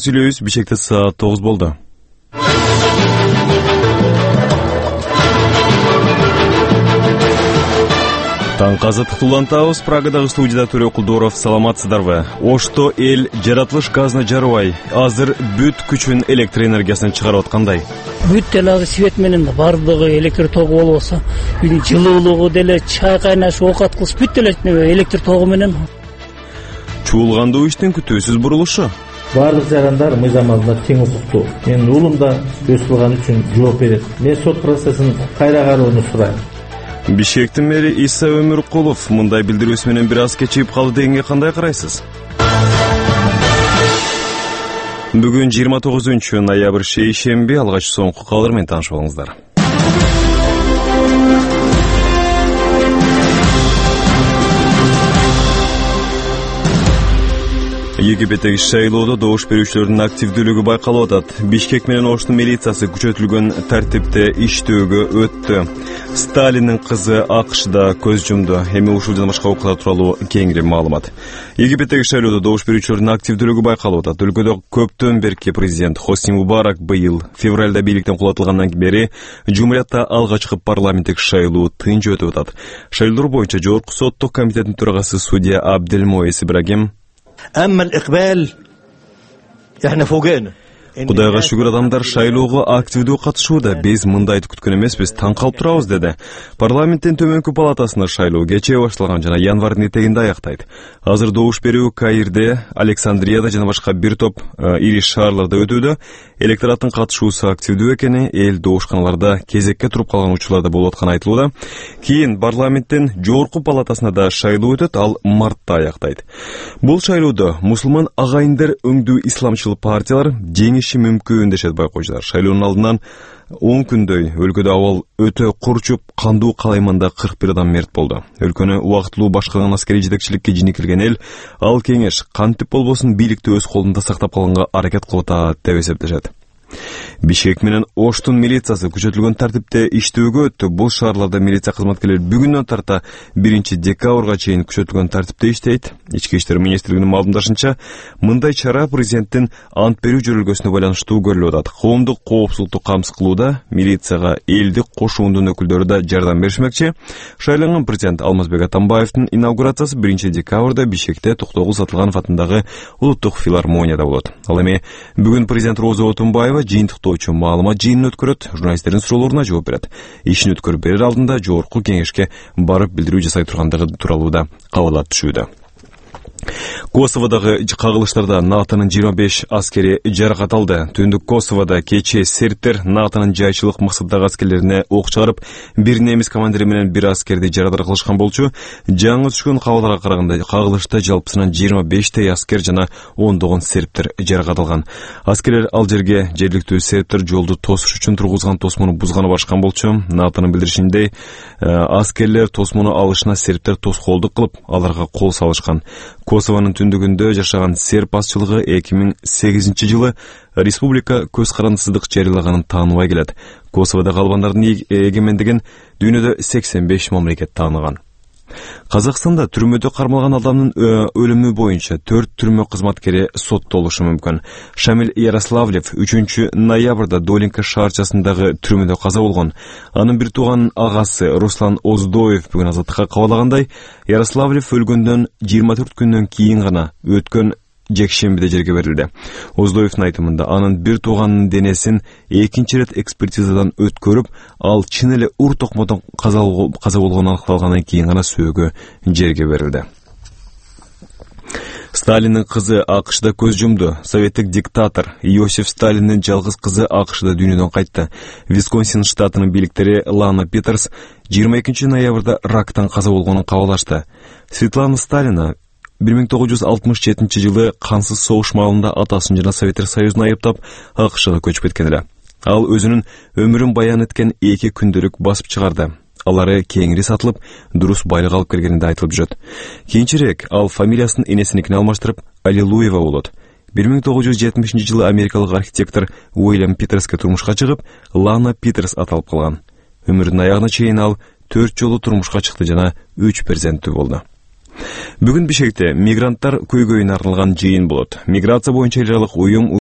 сүйлөйбүз. Бишкекте саат 9 болду. Таңкы азаттыкты улантабыз. Прагадагы студияда Төлө Кулдоров. Саламатсыздарбы? Ошто эл жаратылыш газына жарыбай, азыр бүт күчүн электр энергиясын чыгарып аткандай. Бүт деле свет менен бардыгы электр тогу болбосо, үйдүн жылуулугу деле, чай кайнаш, оокат кылыш бүт деле электр тогу менен. Чуулгандуу иштин күтүүсүз бурулушу. Барлык жарандар мыйзам алдында тең укуктуу. Менин уулум да өз кылганы үчүн жооп берет. Мен сот процессин кайра кароону сурайм. Бишкектин мэри Иса Өмүркулов мындай билдирүүсү менен бир аз кечигип калды дегенге кандай карайсыз? Бүгүн 29-ноябрь шейшемби, алгач соңку кабар менен таанышып алыңыздар. Египеттеги шайлоодо добуш берүүчүлөрдүн активдүүлүгү байкалып атат. Бишкек менен Оштун милициясы күчөтүлгөн тартипте иштөөгө өттү. Сталиндин кызы АКШда көз жумду. Эми ушул жана башка окуялар тууралуу кеңири маалымат. Египеттеги шайлоодо добуш берүүчүлөрдүн активдүүлүгү байкалып атат. Өлкөдө көптөн берки президент Хосни Мубарак быйыл февралда бийликтен кулатылгандан бери Жумурiyatта алгачкы парламенттик шайлоо тынч өтүп атат. Шайлоо боюнча Жогорку соттук комитеттин төрагасы судья Абделмоис Ибрагим Кудайга шүгүр, адамдар шайлоого активдүү катышууда. Биз мындайды күткөн эмеспиз, таң калып турабыз, деди. Парламенттин төмөнкү палатасында шайлоо кечээ башталган жана январдын этегинде аяктайт. Азыр добуш берүү Каирде, Александрияда жана башка бир топ ири шаарларда өтүүдө. Электораттын катышуусу активдүү экени, эл добушканаларда кезекке туруп калган учурларда болуп атканы айтылууда. Кийин парламенттин жогорку палатасында да шайлоо өтөт, ал мартта аяктайт. Бул шайлоодо мусулман агайындар өңдүү исламчыл партиялар жеңиши мүмкүн дешет байкоочулар. Шайлоонун алдынан 10 күндөй өлкөдө абал өтө курчуп, кандуу калайманда 41 адам мерт болду. Өлкөнү убактылуу башкарган аскерий жетекчиликке жинекилген эл, ал кеңеш кантип болбосун бийликти өз колунда сактап калганга аракет кылып атат деп эсептешет. Бишкек менен Оштун милициясы күчөтүлгөн тартипте иштөөгө өттү. Бул шаарларда милиция кызматкерлери бүгүндөн тарта 1 декабрга чейин күчөтүлгөн тартипте иштейт. Ички иштер министрлигинин маалымдашынча, мындай чара президенттин ант берүү жөрөлгөсүнө байланыштуу көрүлүп атат. Коомдук коопсуздукту камсыз кылууда милицияга элдик кошуундун өкүлдөрү да жардам беришмекчи. Шайланган президент Алмазбек Атамбаевдин инаугурациясы 1 декабрда Бишкекте Токтогул Сатылганов атындагы улуттук филармонияда болот. Ал эми бүгүн президент Роза Отунбаева жыйынтыктоочу маалымат жыйынын өткөрөт, журналисттердин суроолоруна жооп берет. Ишин өткөрүп берер алдында жогорку кеңешке барып билдирүү жасай тургандыгы тууралуу да кабарлар түшүүдө. Косоводагы кагылыштарда НАТОнун 25 аскери жаракат алды. Түндүк Косоводо кечээ сербтер НАТОнун жайчылык максаттагы аскерлерине ок чыгарып, бир немис командири менен бир аскерди жарадар кылышкан болчу. Жаңы түшкөн кабарларга караганда кагылышта жалпысынан 25 аскер жана ондогон сербтер жаракат алган. Аскерлер ал жерге жергиликтүү сербтер жолду тосуш үчүн тургузган тосмону бузганы барышкан болчу. НАТОнун билдиришинде аскерлер тосмону алышына сербтер тоскоолдук кылып, аларга кол салышкан. Косовонун түндүгүндө жашаган серб азчылыгы 2008-жылы республика көз карандысыздык жарыялаганын тааныбай келет. Косоводо калбандардын эгемендигин дүйнөдө 85 мамлекет тааныган. Казакстанда түрмөдө кармалган адамдын өлүмү боюнча 4 түрмө кызматкери соттолушу мүмкүн. Шамил Ярославлев 3 ноябрда Долинка шаарчасындагы түрмөдө каза болгон. Анын бир тууганын агасы Руслан Оздоев бүгүн азаттыкка кабарлагандай, Ярославлев өлгөндөн 24 күндөн кийин гана өткөн жекшембиде жерге берилди. Оздоевдун айтымында анын бир тууганынын денесин экинчи рет экспертизадан өткөрүп, ал чын эле ур токмодон каза болгону аныкталгандан кийин гана сөөгө жерге берилди. Сталиндин кызы АКШда көз жумду. Советтик диктатор Иосиф Сталиндин жалгыз кызы АКШда дүйнөдөн кайтты. Висконсин штатынын бийликтери Лана Питерс 22 ноябрда рактан каза болгонун кабарлашты. Светлана Сталина 1967 кансыз согуш маалында атасын жана Советтер Союзун айыптап АКШга көчүп кеткен эле. Ал өзүнүн өмүрүн баян эткен 2 күндөлүк басып чыгарды. Алары кеңири сатылып, дурус байлык алып келгенинде айтылып жүрөт. Кийинчерээк ал фамилиясын энесиникине алмаштырып Аллилуева болот. 1970-жылы америкалык архитектор Уильям Питерске турмушка чыгып, Лана Питерс аталып калган. Өмүрүнүн аягына чейин ал 4 жолу турмушка чыкты жана 3 перзенттүү болду. Бүгүн Бишкекте мигранттар көйгөйүнө арналган жыйын болот. Миграция боюнча эл аралык уюм